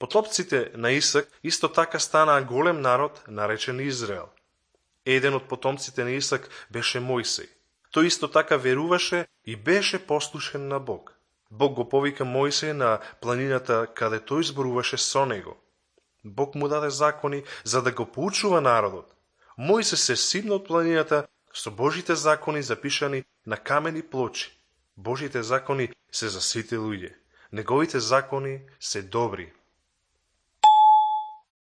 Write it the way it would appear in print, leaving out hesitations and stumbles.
Потомците на Исак исто така станаа голем народ, наречен Израел. Еден од потомците на Исак беше Мојсей. Тој исто така веруваше и беше послушен на Бог. Бог го повика Мојсей на планината каде тој зборуваше со него. Бог му даде закони за да го поучува народот. Мојсей се симна од планината со Божите закони запишани на камени плочи. Божите закони се за сите луѓе. Неговите закони се добри.